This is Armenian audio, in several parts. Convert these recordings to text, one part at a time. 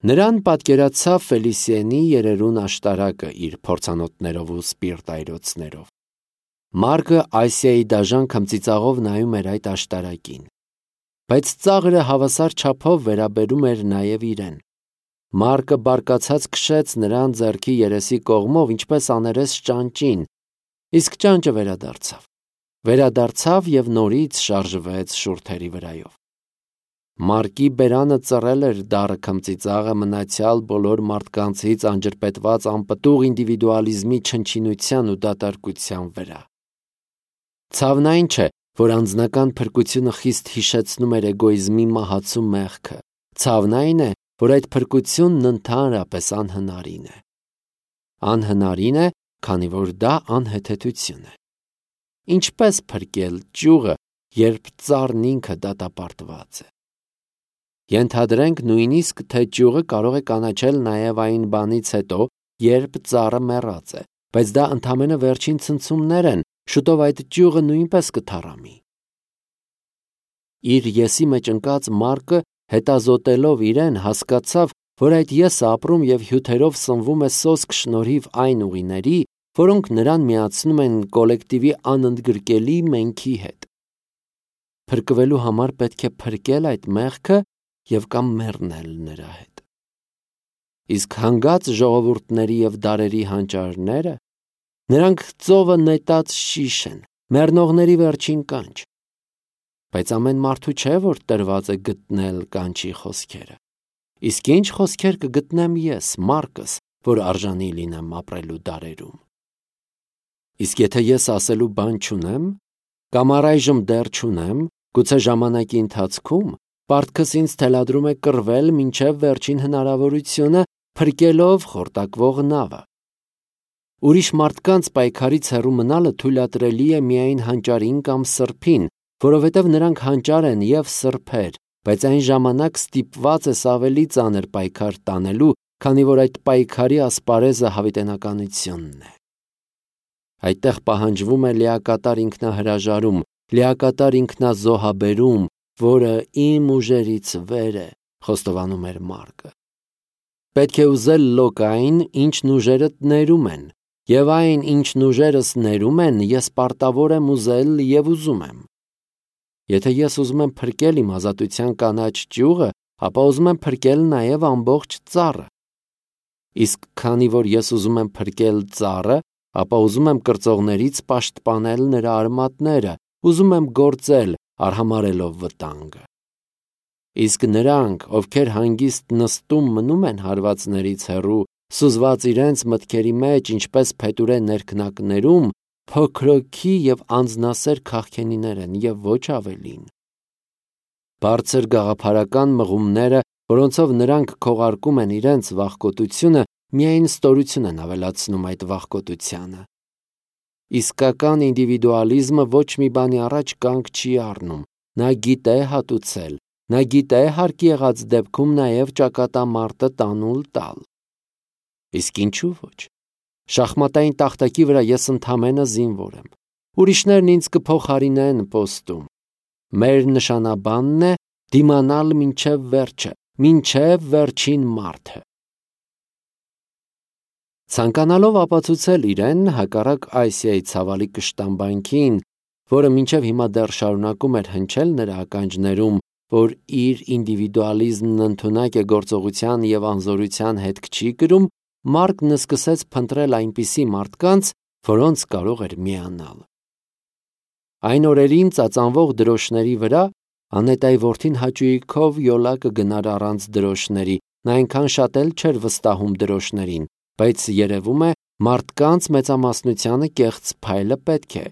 Նրան պատկերացավ Ֆելիսիենի երերուն աշտարակը իր փորձանոթներով ու սպիրտայրոցներով։ Մարկը Ասիայի դաժան քմծիծաղով նայում էր այդ աշտարակին։ Բայց ծաղրը հավասար չափով վերաբերում էր նաև իրեն։ Մարկը բարկացած քշեց նրան ձեռքի երեսի կողմով, ինչպես աներես ճանճին, իսկ ճանճը վերադարձավ և նորից շարժվեց շուրթերի վրայով։ Մարկի բերանը ծռել էր դառը քմծիծաղը մնացյալ բոլոր մարդկանցից անջրպետված անպտուղ ինդիվիդուալիզմի չնչինության ու դատարկության վրա։ Ցավն այն չէ, որ անձնական փրկությունը խիստ հիշեցնում էր էգոիզմի մահացու մեղքը։ Ցավն այն է, որ այդ փրկությունն ընդհանրապես անհնարին է։ Անհնարին է, քանի որ դա անհեթեթություն է։ Ինչպես փրկել ճյուղը, երբ ծառն ինքը դատապարտված է։ Ենթադրենք նույնիսկ, թե ճյուղը կարող է կանաչել նաև այն բանից հետո, երբ ծառը մեռած է, բայց դա ընդամենը վերջին ցնցումներ են, շուտով այդ ճյուղը նույնպես կթառամի։ Իր եսի մեջ ընկած Մարկը, հետազոտելով իրեն, հասկացավ, որ այդ եսը ապրում և հյութերով սնվում է սոսկ շնորհիվ այն ուղիների, որոնք նրան միացնում են կոլեկտիվի անընդգրկելի մենքի հետ։ Փրկվելու համար պետք է փրկել այդ մեղքը և կամ մեռնել նրա հետ։ Իսկ հանգած ժողովուրդների և դարերի հանճարները, նրանք ծովը նետած շիշ են, մեռնողների վերջին կանչ։ Բայց ամեն մարդու չէ, որ տրված է գտնել կանչի խոսքերը։ Իսկ ինչ խոսքեր կգտնեմ ես, Մարկս, որ արժանի լինեմ ապրելու դարերում։ Իսկ եթե ես ասելու բան չունեմ, կամ առայժմ դեռ չունեմ, գուցե ժամանակի ընթացքում, պարտքս ինձ թելադրում է կռվել մինչև վերջին հնարավորությունը, փրկելով խորտակվող նավը։ Ուրիշ մարդկանց պայքարից հեռու մնալը թույլատրելի է միայն հանճարին կամ սրբին, որովհետև նրանք հանճար են և սրբեր, բայց այն ժամանակ ստիպված ես ավելի ծանր պայքար տանելու, քանի որ այդ պայքարի ասպարեզը հավիտենականությունն է։ Այդտեղ պահանջվում է լիակատար ինքնահրաժարում, լիակատար ինքնազոհաբերում, որը իմ ուժերից վեր է, խոստովանում էր Մարկը։ Պետք է ուզել լոկ այն, ինչն ուժերդ ներում են, և այն, ինչն ուժերս ներում են, ես պարտավոր եմ ուզել և ուզում եմ։ Եթե ես ուզում եմ փրկել իմ ազատության կանաչ ճյուղը, ապա ուզում եմ փրկել նաև ամբողջ ծառը։ Իսկ քանի որ ես ուզում եմ փրկել ծառը, ապա ուզում եմ կրծողներից պաշտպանել նրա արմատները, ուզում եմ գործել, արհամարհելով վտանգը։ Իսկ նրանք, ովքեր հանգիստ նստում մնում են հարվածներից հեռու, սուզված իրենց մտքերի մեջ, ինչպես փետուրե ներքնակներում, փոքրոքի և անձնասեր քաղքենիներ են և ոչ ավելին։ Բարձր գաղափարական մղումները, որոնցով նրանք քողարկում են իրենց վախկոտությունը, միայն ստորություն են ավելացնում այդ վախկոտությանը։ Իսկական ինդիվիդուալիզմը ոչ մի բանի առաջ կանգ չի առնում, նա գիտե հատուցել, նա գիտե հարկ եղած դեպքում նաև ճակատամարտը տանուլ տալ։ Իսկ ինչու ոչ։ Շախմատային տախտակի վրա ես ընդամենը զինվոր եմ։ Ուրիշներն ինձ կփոխարինեն պոստում։ Մեր նշանաբանն է դիմանալ մինչև վերջը, մինչև վերջին մարդը։ Ցանկանալով ապացուցել իրեն, հակառակ Ասիայի ցավալի կշտամբանքին, որը մինչև հիմա դեռ շարունակում էր հնչել նրա ականջներում, որ իր ինդիվիդուալիզմն ընդունակ է գործողության և անզորության հետք չի կրում, Մարկն սկսեց փնտրել այնպիսի մարդկանց, որոնց կարող էր միանալ։ Այն օրերին ծածանվող դրոշների վրա Անետայի որդին հաճույքով յոլա կգնար առանց դրոշների, նա այնքան շատ էլ չէր վստահում դրոշներին, բայց երևում է մարդկանց մեծամասնությանը կեղծ փայլը պետք է։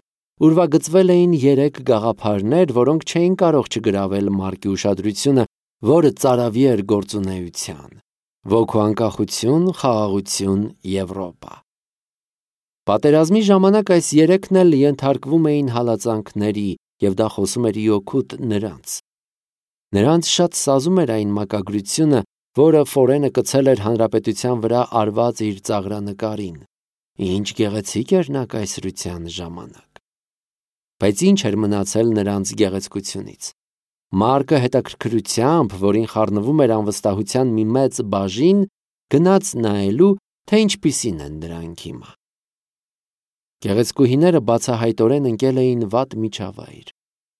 Ուրվագծվել էին 3 գաղափարներ, որոնք չէին կարող չգրավել Մարկի ուշադրությունը, որը ծարավի էր գործունեության։ Ոգու անկախություն, խաղաղություն, Եվրոպա։ Պատերազմի ժամանակ այս 3-ն էլ ենթարկվում էին հալածանքների, և դա խոսում էր իօքուտ նրանց։ Նրանց շատ սազում էր այն մակագրությունը, որը Ֆորենը կցել էր հանրապետության վրա արված իր ծաղրանկարին։ Ինչ գեղեցիկ էր նա կայսրության ժամանակ։ Բայց ինչ էր մնացել նրանց գեղեցկությունից։ Մարկը հետաքրքրությամբ, որին խառնվում էր անվստահության մի մեծ բաժին, գնաց նայելու, թե ինչպիսին են դրանք հիմա։ Գեղեցկուհիները բացահայտորեն ընկել էին վատ միջավայր։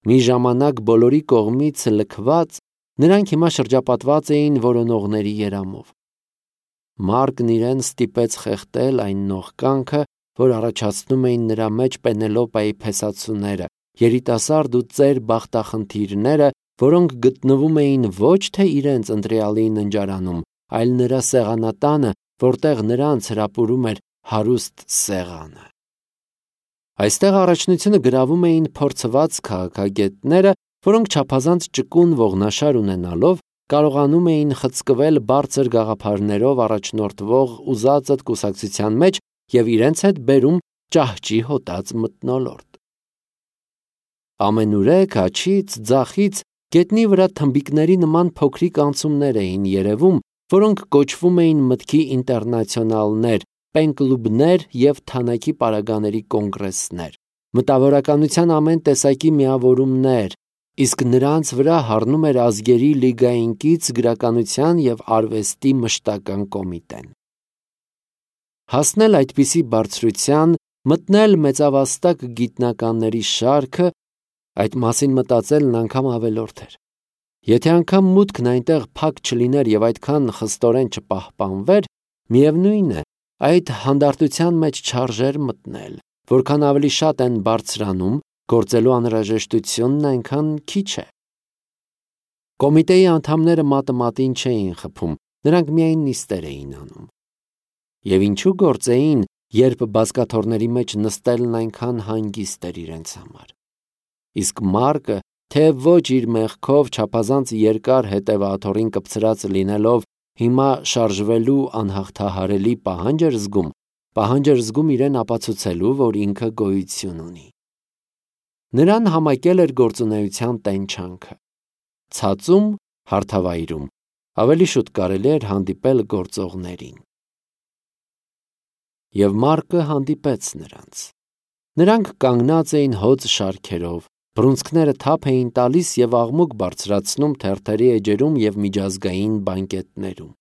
Մի ժամանակ բոլորի կողմից լքված, նրանք հիմա շրջապատված էին որոնողների երամով։ Մարկն իրեն ստիպեց խեղդել այն նողկանքը, որ առաջացնում էին նրա մեջ Պենելոպայի փեսացուները, երիտասարդ ու ծեր բախտախնդիրները, որոնք գտնվում էին ոչ թե իրենց ընտրյալի ննջարանում, այլ նրա սեղանատանը, որտեղ նրանց հրապուրում էր հարուստ սեղանը։ Այստեղ առաջնությունը գրավում էին փորձված քաղաքագետները, որոնք չափազանց ճկուն ողնաշար ունենալով կարողանում էին խցկվել բարձր գաղափարներով առաջնորդվող ուզածդ կուսակցության մեջ և իրենց հետ բերում ճահճի հոտած մթնոլորտ։ Ամենուրեք աջից, ձախից գետնի վրա թմբիկների նման փոքրիկ անցումներ էին երևում, որոնք կոչվում էին մտքի ինտերնացիոնալներ, պեն-կլուբներ և թանաքի պարագաների կոնգրեսներ, մտավորականության ամեն տեսակի միավորումներ, իսկ նրանց վրա հառնում էր ազգերի լիգային կից գրականության և արվեստի մշտական կոմիտեն։ Հասնել այդպիսի բարձրության, մտնել մեծավաստակ գիտնականների շարքը, այդ մասին մտածելն անգամ ավելորդ էր։ Եթե անգամ մուտքն այնտեղ փակ չլիներ և այդքան խստորեն չպահպանվեր, միևնույն է, այդ հանդարտության մեջ չարժեր մտնել, որքան ավելի շատ են բարձրանում, գործելու անհրաժեշտությունն այնքան քիչ է։ Կոմիտեի անդամները մատը մատին չէին խփում, նրանք միայն նիստեր էին անում։ Եվ ինչու գործեին, երբ բազկաթոռների մեջ նստելն այնքան հանգիստ էր իրենց համար։ Իսկ Մարկը, թե ոչ իր մեղքով չափազանց երկար հետևաթոռին կպցրած լինելով, հիմա շարժվելու անհաղթահարելի պահանջ էր զգում իրեն ապացուցելու, որ ինքը գոյություն ունի։ Նրան համակել էր գործունեության տենչանքը։ Ցածում, հարթավայրում, ավելի շուտ կարելի էր հանդիպել գործողներին։ Եվ Մարկը հանդիպեց նրանց։ Նրանք կանգնած էին հոծ շարքերով, բռունցքները թափ էին տալիս և աղմուկ բարձրացնում թերթերի էջերում և միջազգային բանկետներում։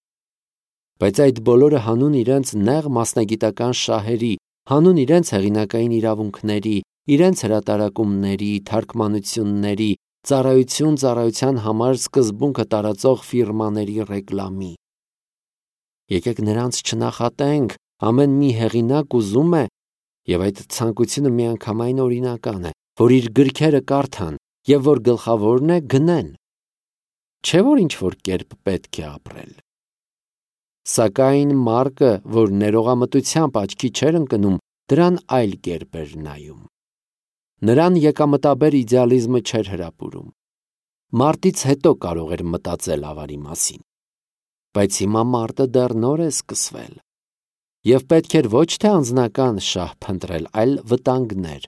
Բայց այդ բոլորը հանուն իրենց նեղ մասնագիտական շահերի, հանուն իրենց հեղինակային իրավունքների, իրենց հրատարակումների, թարգմանությունների, ծառայության համար սկզբունքը տարածող ֆիրմաների ռեկլամի։ Եկեք նրանց չնախատենք, ամեն մի հեղինակ ուզում է, և այդ ցանկությունը միանգամայն օրինական է, որ իր գրքերը կարդան և որ գլխավորն է գնեն։ Չէ՞ որ ինչ-որ կերպ պետք է ապրել։ Սակայն Մարկը, որ ներողամտությամբ աչքի չէր ընկնում, դրան այլ կերպ էր նայում։ Նրան եկամտաբեր իդեալիզմը չէր հրապուրում։ Մարտից հետո կարող էր մտածել ավարի մասին։ Բայց հիմա մարտը դեռ նոր է սկսվել։ Եվ պետք էր ոչ թե անձնական շահ փնտրել, այլ վտանգներ։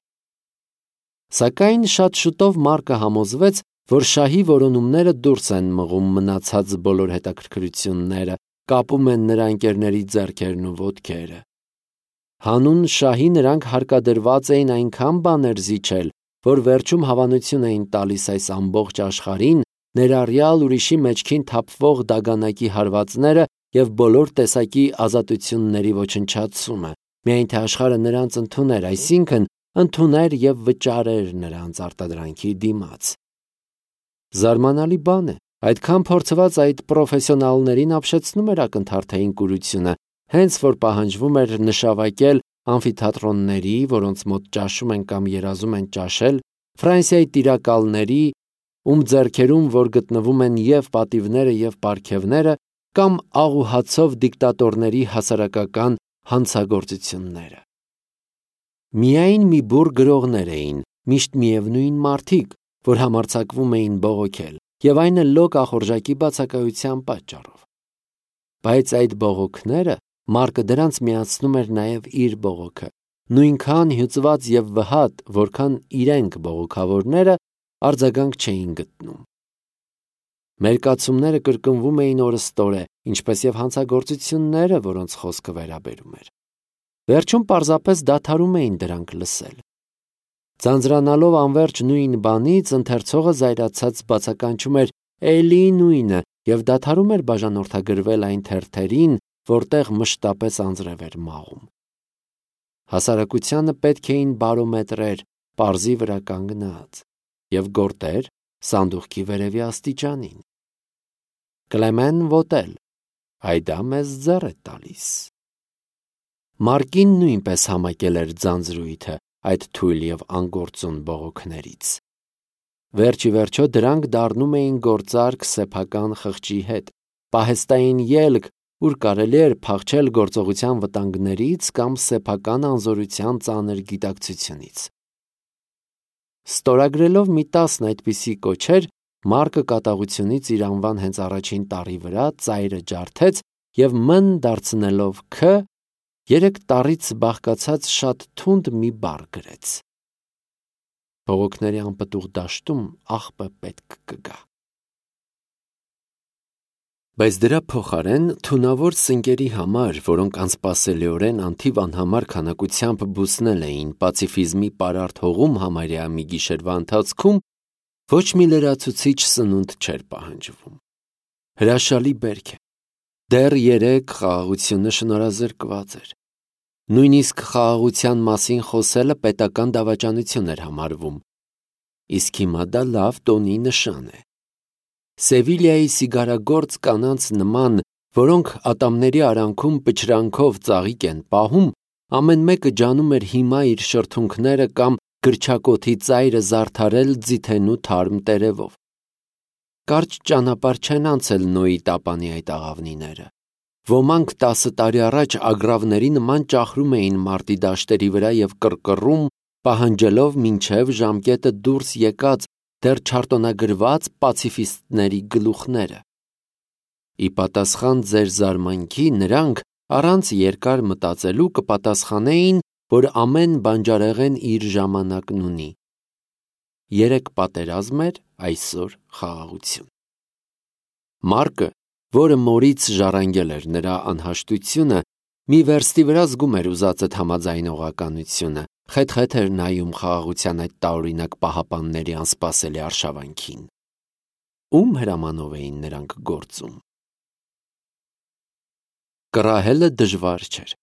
Սակայն շատ շուտով Մարկը համոզվեց, որ շահի որոնումները դուրս են մղում մնացած բոլոր հետաքրքրությունները, կապում են նրա ընկերների ձեռքերն ու ոտքերը։ Հանուն շահի նրանք հարկադրված էին այնքան բաներ զիջել, որ վերջում հավանություն էին տալիս այս ամբողջ աշխարհին, ներառյալ ուրիշի մեջքին թափվող դագանակի հարվածները և բոլոր տեսակի ազատությունների ոչնչացումը, միայն թե աշխարհը նրանց ընդուներ, այսինքն ընդուներ և վճարեր նրանց արտադրանքի դիմաց։ Զարմանալի բան է, այդքան փորձված այդ պրոֆեսիոնալներին ապշեցնում էր ակնթարթային կուրությունը, հենց որ պահանջվում էր նշավակել ամֆիթատրոնների, որոնց մոտ ճաշում են կամ երազում են ճաշել, Ֆրանսիայի տիրակալների, ում ձեռքերում որ գտնվում են և պատիվները և պարգևները, կամ աղուհացով դիկտատորների հասարակական հանցագործությունները։ Միայն մի բուռ գրողներ էին, միշտ միևնույն մարդիկ, որ համարձակվում էին բողոքել, և այն էլ լոկ ախորժակի բացակայության պատճառով։ Բայց այդ բողոքները Մարկը դրանց միացնում էր նաև իր բողոքը, նույնքան հյուծված և վհատ, որքան իրենք բողոքավորները արձագանք չէին գտնում։ Մերկացումները կրկնվում էին օրըստօրե, ինչպես և հանցագործությունները, որոնց խոսքը վերաբերում էր։ Վերջում պարզապես դադարում էին դրանք լսել։ Ձանձրանալով անverջ նույն բանից, ընթերցողը զայրացած բացականչում էր էլի նույնը և դադարում էր բաժանորդագրվել այն թերթերին, որտեղ մշտապես անձրև էր մաղում։ Հասարակությանը պետք էին բարոմետրեր, պարզի վրա կանգնած, և գորտեր սանդուղքի վերևի աստիճանին։ Կլեմեն ոտել, այդա մեզ ձեռ է տալիս։ Մարկին նույնպես համակել էր ձանձրույթը այդ թույլ և անգործուն բողոքներից։ Վերջ ի վերջո դրանք դառնում էին գործարք սեփական խղճի հետ, պահեստային ելք, ուր կարելի էր փախչել գործողության վտանգներից կամ սեփական անզորության ծանր գիտակցությունից։ Ստորագրելով մի 10 այդպիսի կոչեր, Մարկը կատաղությունից իր անվան հենց առաջին տառի վրա ծայրը ջարդեց և մ-ն դարձնելով Ք, 3 տառից բաղկացած շատ թունդ մի բառ գրեց։ Բողոքների անպտուղ դաշտում աղբը պետք կգա։ Բայց դրա փոխարեն թունավոր սնկերի համար, որոնք անսպասելիորեն անթիվ անհամար քանակությամբ բուսնել էին պացիֆիզմի պարարտ հողում համարյա մի գիշերվա ընթացքում, ոչ մի լրացուցիչ սնունդ չէր պահանջվում։ Հրաշալի բերք է։ Դեռ 3 խաղաղությունը շնորհազրկված էր։ Նույնիսկ խաղաղության մասին խոսելը պետական դավաճանություն էր համարվում։ Իսկ հիմա դա լավ տոնի նշան է։ Սևիլիայի սիգարագործ կանանց նման, որոնք ատամների արանքում պչրանքով ծաղիկ են պահում, ամեն մեկը ջանում էր հիմա իր շրթունքները կամ գրչակոթի ծայրը զարդարել ձիթենու թարմ տերևով։ Կարճ ճանապարհ չեն անցել Նոյի տապանի այդ աղավնիները։ Ոմանք 10 տարի առաջ ագռավների նման ճախրում էին մարտի դաշտերի վրա և կռկռում, պահանջելով մինչև ժամկետը դուրս եկած դեռ չարտոնագրված պացիֆիստների գլուխները։ Ի պատասխան ձեր զարմանքի նրանք առանց երկար մտածելու կպատասխանեին, որ ամեն բանջարեղեն իր ժամանակն ունի։ 3 պատերազմ էր, այսօր խաղաղություն։ Մարկը, որը մորից ժառանգել էր նրա անհաշտությունը, մի վերստի վրա զգում էր ուզածդ համաձայնողականությունը, խեթ-խեթ էր նայում խաղաղության այդ տարօրինակ պահապանների անսպասելի արշավանքին։ Ում հրամանով էին նրանք գործում։ Կռահելը դժվար չէր։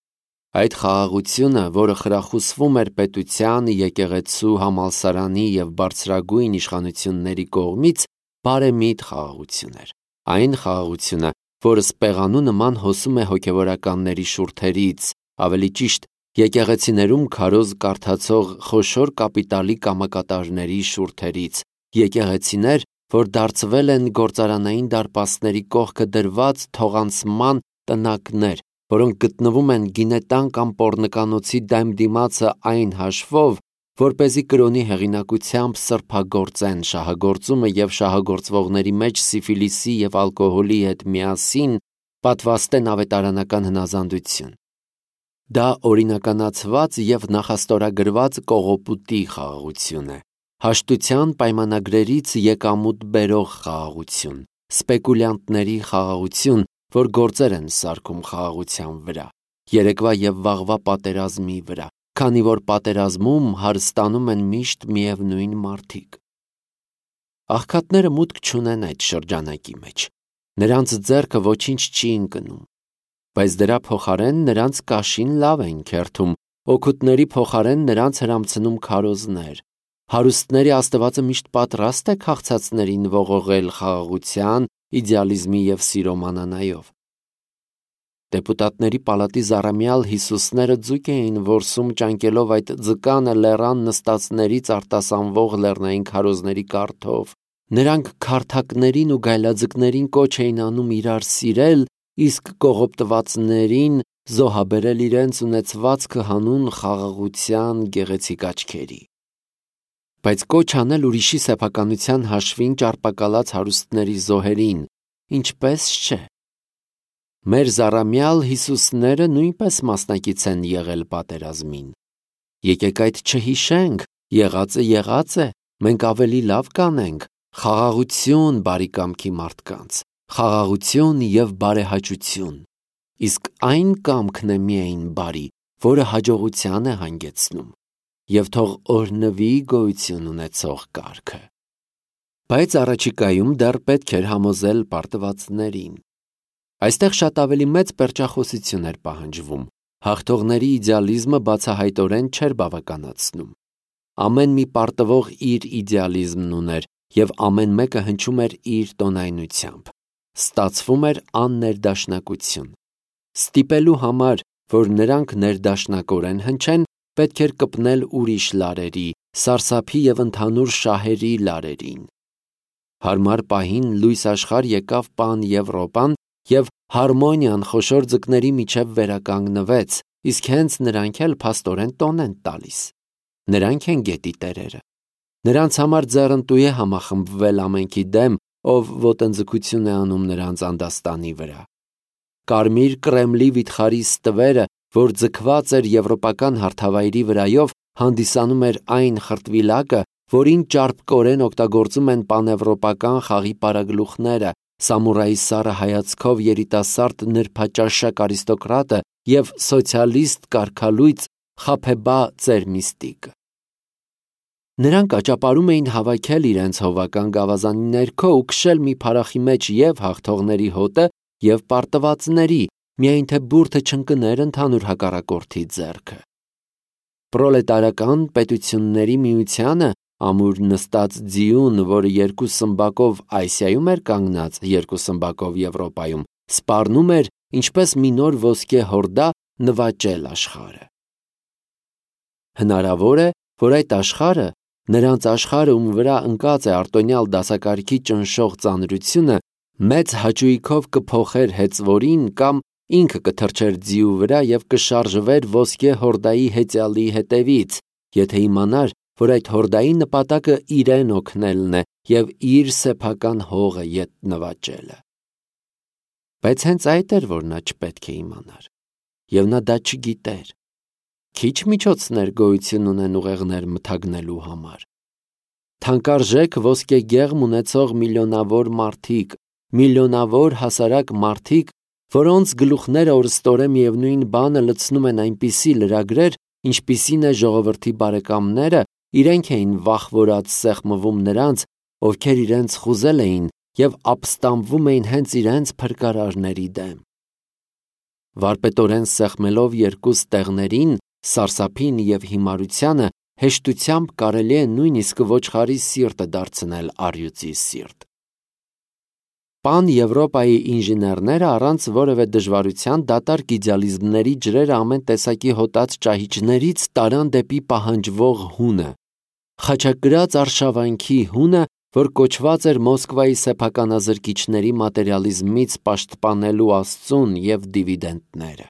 Այդ խաղաղությունը, որը խրախուսվում էր պետության, եկեղեցու, համալսարանի և բարձրագույն իշխանությունների կողմից, բարեմիտ խաղաղություն էր։ Այն խաղաղությունը, որը սպեղանու նման հոսում է հոգևորականների շուրթերից, ավելի ճիշտ, եկեղեցիներում քարոզ կարդացող խոշոր կապիտալի կամակատարների շուրթերից, եկեղեցիներ, որ դարձվել են գործարանային դարպասների կողքը դրված թողանցման տնակներ, որոնք գտնվում են գինետան կամ պոռնկանոցի դեմ դիմացը այն հաշվով, որպեսզի կրոնի հեղինակությամբ սրբագործեն շահագործումը և շահագործվողների մեջ սիֆիլիսի և ալկոհոլի հետ միասին պատվաստեն ավետարանական հնազանդություն։ Դա օրինականացված և նախաստորագրված կողոպուտի խաղաղություն է, հաշտության պայմանագրերից եկամուտ բերող խաղաղություն, սպեկուլյանտների խաղաղություն, որ գործեր են սարքում խաղաղության վրա, երեկվա և վաղվա պատերազմի վրա, քանի որ պատերազմում հարստանում են միշտ միևնույն մարդիկ։ Աղքատները մուտք չունեն այդ շրջանակի մեջ, նրանց ձեռքը ոչինչ չի ընկնում, բայց դրա փոխարեն նրանց կաշին լավ են քերթում, օգուտների փոխարեն նրանց հրամցնում քարոզներ։ Հարուստների Աստվածը միշտ պատրաստ է քաղցածներին ողողել խաղաղության, իդեալիզմի և սիրո մանանայով։ Դեպուտատների պալատի զառամյալ Հիսուսները ձուկ էին որսում ճանկելով այդ ձկանը լեռան նստածներից արտասանվող լեռնային քարոզների կարթով։ Նրանք քարթակներին ու գայլաձկներին կոչ էին անում իրար սիրել, իսկ կողոպտվածներին զոհաբերել իրենց ունեցվածքը հանուն խաղաղության գեղեցիկ աչքերի։ Բայց կոչ անել ուրիշի սեփականության հաշվին ճարպակալած հարուստների զոհերին, ինչպես չէ։ Մեր զառամյալ Հիսուսները նույնպես մասնակից են եղել պատերազմին։ Եկեք այդ չհիշենք, եղած է, մենք ավելի լավ կանենք, խաղաղություն բարի կամքի մարդկանց, խաղաղություն և բարեհաճություն, իսկ այն կամքն է միայն բարի, որը հաջողության է հանգեցնում։ և թող օրհնվի գոյություն ունեցող կարգը։ Բայց առաջիկայում դեռ պետք էր համոզել պարտվածներին։ Այստեղ շատ ավելի մեծ պերճախոսություն էր պահանջվում, հաղթողների իդեալիզմը բացահայտորեն չէր բավականացնում։ Ամեն մի պարտվող իր իդեալիզմն ուներ, և ամեն մեկը հնչում էր իր տոնայնությամբ։ Ստացվում էր աններդաշնակություն։ Ստիպելու համար, որ նրանք ներդաշնակորեն հնչեն, պետք էր կպնել ուրիշ լարերի, սարսափի և ընդհանուր շահերի լարերին։ Հարմար պահին լույս աշխարհ եկավ Պան Եվրոպան և հարմոնիան խոշոր ձկների միջև վերականգնվեց, իսկ հենց նրանք էլ փաստորեն տոն են տալիս։ Նրանք են գետի տերերը։ Նրանց համար ձեռնտու է համախմբվել ամենքի դեմ, ով ոտնձգություն է անում նրանց անդաստանի վրա։ Կարմիր Կրեմլի վիթխարի ստվերը, որ ձգված էր եվրոպական հարթավայրի վրայով, հանդիսանում էր այն խրտվիլակը, որին ճարպկորեն օգտագործում են պանեվրոպական խաղի պարագլուխները, սամուրայի սառը հայացքով երիտասարդ նրբաճաշակ արիստոկրատը և սոցիալիստ կարգալույծ Խաբեբա Ծերմիստիկը։ Նրանք աճապարում էին հավաքել իրենց հովական գավազանի ներքո ու քշել մի փարախի մեջ և հաղթողների հոտը, և պարտվածների, միայն թե բուրդը չընկներ ընդհանուր հակառակորդի ձեռքը։ Պրոլետարական պետությունների միությանը, ամուր նստած ձիուն, որը երկու սմբակով Ասիայում էր կանգնած, երկու սմբակով Եվրոպայում, սպառնում էր, ինչպես մի նոր ոսկե հորդա, նվաճել աշխարհը։ Հնարավոր է, որ այդ աշխարհը, նրանց աշխարհը, ում վրա ընկած է արտոնյալ դասակարգի ճնշող ծանրությունը, մեծ հաճույքով կփոխեր հեծվորին կամ ինքը կթռչեր ձիու վրա և կշարժվեր ոսկե հորդայի հեծյալի հետևից, եթե իմանար, որ այդ հորդայի նպատակը իրեն օգնելն է և իր սեփական հողը ետ նվաճելը։ Բայց հենց այդ էր, որ նա չպետք է իմանար, և նա դա չգիտեր։ Քիչ միջոցներ գոյություն ունեն ուղեղներ մթագնելու համար։ Թանկարժեք ոսկեգեղմ ունեցող միլիոնավոր մարդիկ, միլիոնավոր հասարակ մարդիկ, որոնց գլուխները օրըստորեն միևնույն բանը լցնում են այնպիսի լրագրեր, ինչպիսին է ժողովրդի բարեկամները, իրենք էին վախվորած սեղմվում նրանց, ովքեր իրենց խուզել էին և ապստամբվում էին հենց իրենց փրկարարների դեմ։ Վարպետորեն սեղմելով երկու ստեղներին, սարսափին և հիմարությանը, հեշտությամբ կարելի է նույնիսկ ոչխարի սիրտը դարձնել առյուծի սիրտ։ Պան Եվրոպայի ինժեներները առանց որևէ դժվարության դատարկ իդեալիզմների ջրերը ամեն տեսակի հոտած ճահիճներից տարան դեպի պահանջվող հունը, խաչակրաց արշավանքի հունը, որ կոչված էր Մոսկվայի սեփականազրկիչների մատերիալիզմից պաշտպանելու աստծուն և դիվիդենդները։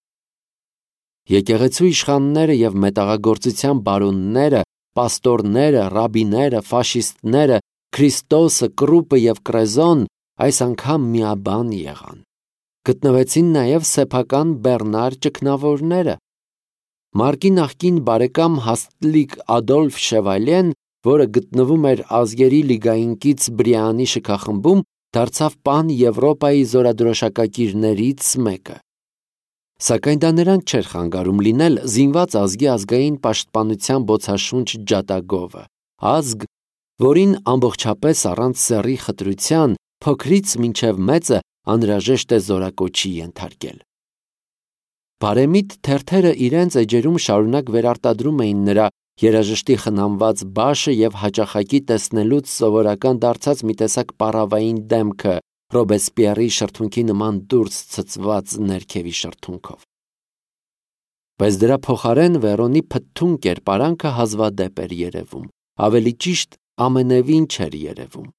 Եկեղեցու իշխանները և մետաղագործության բարոնները, պաստորները, ռաբիները, ֆաշիստները, Քրիստոսը, Կռուպը և Կրեզոն այս անգամ միաբան եղան։ Գտնվեցին նաև սեփական բեռնար ճգնավորները։ Մարկի նախկին բարեկամ Հաստլիկ Ադոլֆ Շևալյեն, որը գտնվում էր Ազգերի լիգային կից Բրիանի շքախմբում, դարձավ Պան Եվրոպայի զորադրոշակակիրներից մեկը։ Սակայն դա նրան չէր խանգարում լինել զինված ազգի ազգային պաշտպանության բոցաշունչ ջատագովը, ազգ, որին ամբողջապես առանց սեռի խտրության, փոքրից մինչև մեծը անհրաժեշտ է զորակոչի ենթարկել։ Բարեմիտ թերթերը իրենց էջերում շարունակ վերարտադրում էին նրա երաժշտի խնամված բաշը և հաճախակի տեսնելուց սովորական դարձած մի տեսակ պառավային դեմքը Ռոբեսպիերի շրթունքի նման դուրս ցցված ներքևի շրթունքով։ Բայց դրա փոխարեն Վերոնի փթթուն կերպարանքը հազվադեպ էր երևում, ավելի ճիշտ ամենևին չէր երևում։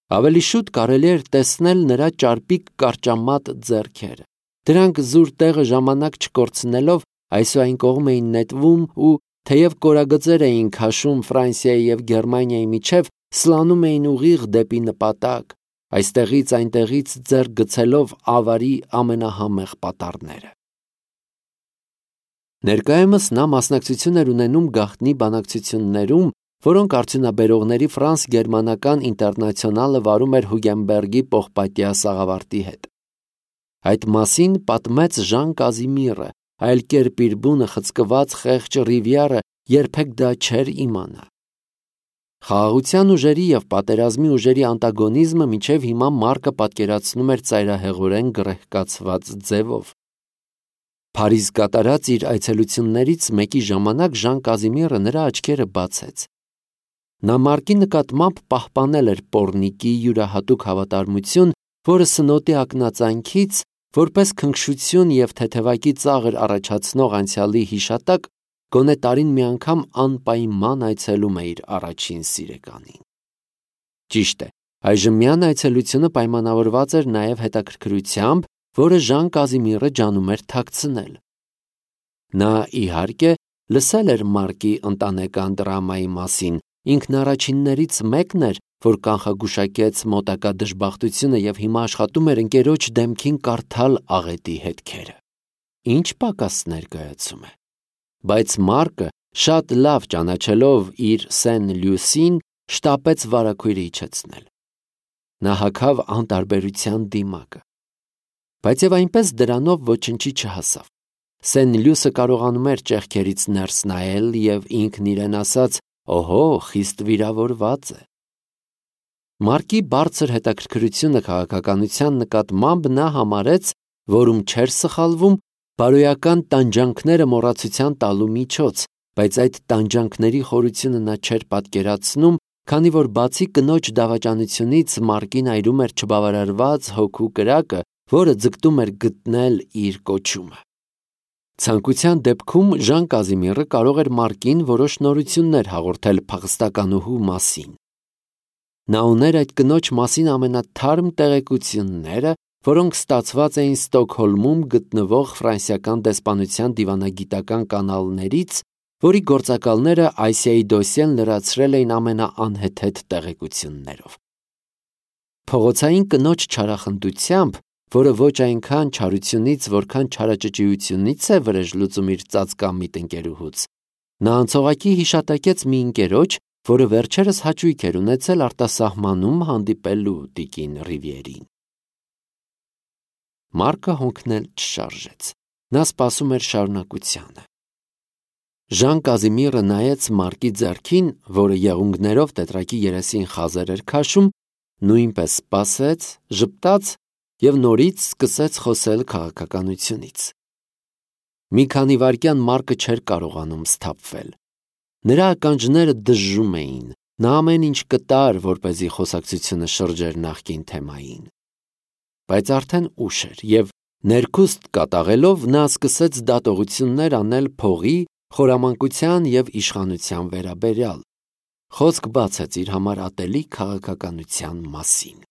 Ավելի շուտ կարելի էր տեսնել նրա ճարպիկ կարճամատ ձեռքերը։ Դրանք զուր տեղը ժամանակ չկորցնելով այսուայն կողմ էին նետվում ու, թեև կորագծեր էին քաշում Ֆրանսիայի և Գերմանիայի միջև, սլանում էին ուղիղ դեպի նպատակ, այստեղից այնտեղից ձեռք գցելով ավարի ամենահամեղ պատառները։ Ներկայումս նա մասնակցություն էր ունենում գաղտնի բանակցություններում, որոնք արդյունաբերողների ֆրանս-գերմանական ինտերնացիոնալը վարում էր Հուգենբերգի պողպատյա սաղավարտի հետ։ Այդ մասին պատմեց Ժան Կազիմիրը, այլ կերպ իր բունը խցկված խեղճ Ռիվիերը երբեք դա չէր իմանա։ Խաղաղության ուժերի և պատերազմի ուժերի անտագոնիզմը մինչև հիմա Մարկը պատկերացնում էր ծայրահեղորեն գռեհկացված ձևով։ Փարիզ կատարած իր այցելություններից մեկի ժամանակ Ժան Կազիմիրը նրա աչքերը բացեց։ Նա Մարկի նկատմամբ պահպանել էր Պոռնիկի յուրահատուկ հավատարմություն, որը սնոտի ակնածանքից, որպես քնքշություն և թեթևակի ծաղր առաջացնող անցյալի հիշատակ, գոնե տարին մի անգամ անպայման այցելում է իր առաջին սիրեկանին։ Ճիշտ է, այժմյան այցելությունը պայմանավորված էր նաև հետաքրքրությամբ, որը Ժան Կազիմիրը ջանում էր թաքցնել։ Նա, իհարկե, լսել էր Մարկի ընտանեկան դրամայի մասին, ինքն առաջիններից մեկն էր, որ կանխագուշակեց մոտակա դժբախտությունը և հիմա աշխատում էր ընկերոջ դեմքին կարդալ աղետի հետքերը։ Ինչ պակաս ներկայացում է։ Բայց Մարկը, շատ լավ ճանաչելով իր Սեն-Լյուսին, շտապեց վարագույրը իջեցնել։ Նա հագավ անտարբերության դիմակը։ Բայց և այնպես դրանով ոչնչի չհասավ։ Սեն-Լյուսը կարողանում էր ճեղքերից ներս նայել և ինքն իրեն ասաց. «Օհո, խիստ վիրավորված է»։ Մարկի բարձր հետաքրքրությունը քաղաքականության նկատմամբ նա համարեց, որում չէր սխալվում, բարոյական տանջանքները մոռացության տալու միջոց, բայց այդ տանջանքների խորությունը նա չէր պատկերացնում, քանի որ բացի կնոջ դավաճանությունից Մարկին այրում էր չբավարարված հոգու կրակը, որը ձգտում էր գտնել իր կոչումը։ Ցանկության դեպքում Ժան Կազիմիրը կարող էր Մարկին որոշ նորություններ հաղորդել փախստականուհու մասին։ Նա ուներ այդ կնոջ մասին ամենաթարմ տեղեկությունները, որոնք ստացված էին Ստոկհոլմում գտնվող ֆրանսիական դեսպանության դիվանագիտական կանալներից, որի գործակալները Այսիայի դոսիեն լրացրել էին ամենաանհեթեթ տեղեկություններով։ Փողոցային կնոջ չարախնդությամբ, որը ոչ այնքան չարությունից, որքան չարաճճիությունից է վրեժ լուծում իր ծածկամիտ ընկերուհուց, նա անցողակի հիշատակեց մի ընկերոջ, որը վերջերս հաճույք էր ունեցել արտասահմանում հանդիպելու տիկին Ռիվիերին։ Մարկը հոնքնել չշարժեց։ Նա սպասում էր շարունակությանը։ Ժան Կազիմիրը նայեց Մարկի ձեռքին, որը եղունգներով տետրակի երեսին խազեր էր քաշում, նույնպես սպասեց, ժպտաց և նորից սկսեց խոսել քաղաքականությունից։ Մի քանի վայրկյան Մարկը չէր կարողանում սթափվել։ Նրա ականջները դժժում էին, նա ամեն ինչ կտար, որպեսզի խոսակցությունը շրջեր նախկին թեմային։ Բայց արդեն ուշ էր, և ներքուստ կատաղելով նա սկսեց դատողություններ անել փողի, խորամանկության և իշխանության վերաբերյալ։ Խոսք բացեց իր համար ատելի քաղաքականության մասին։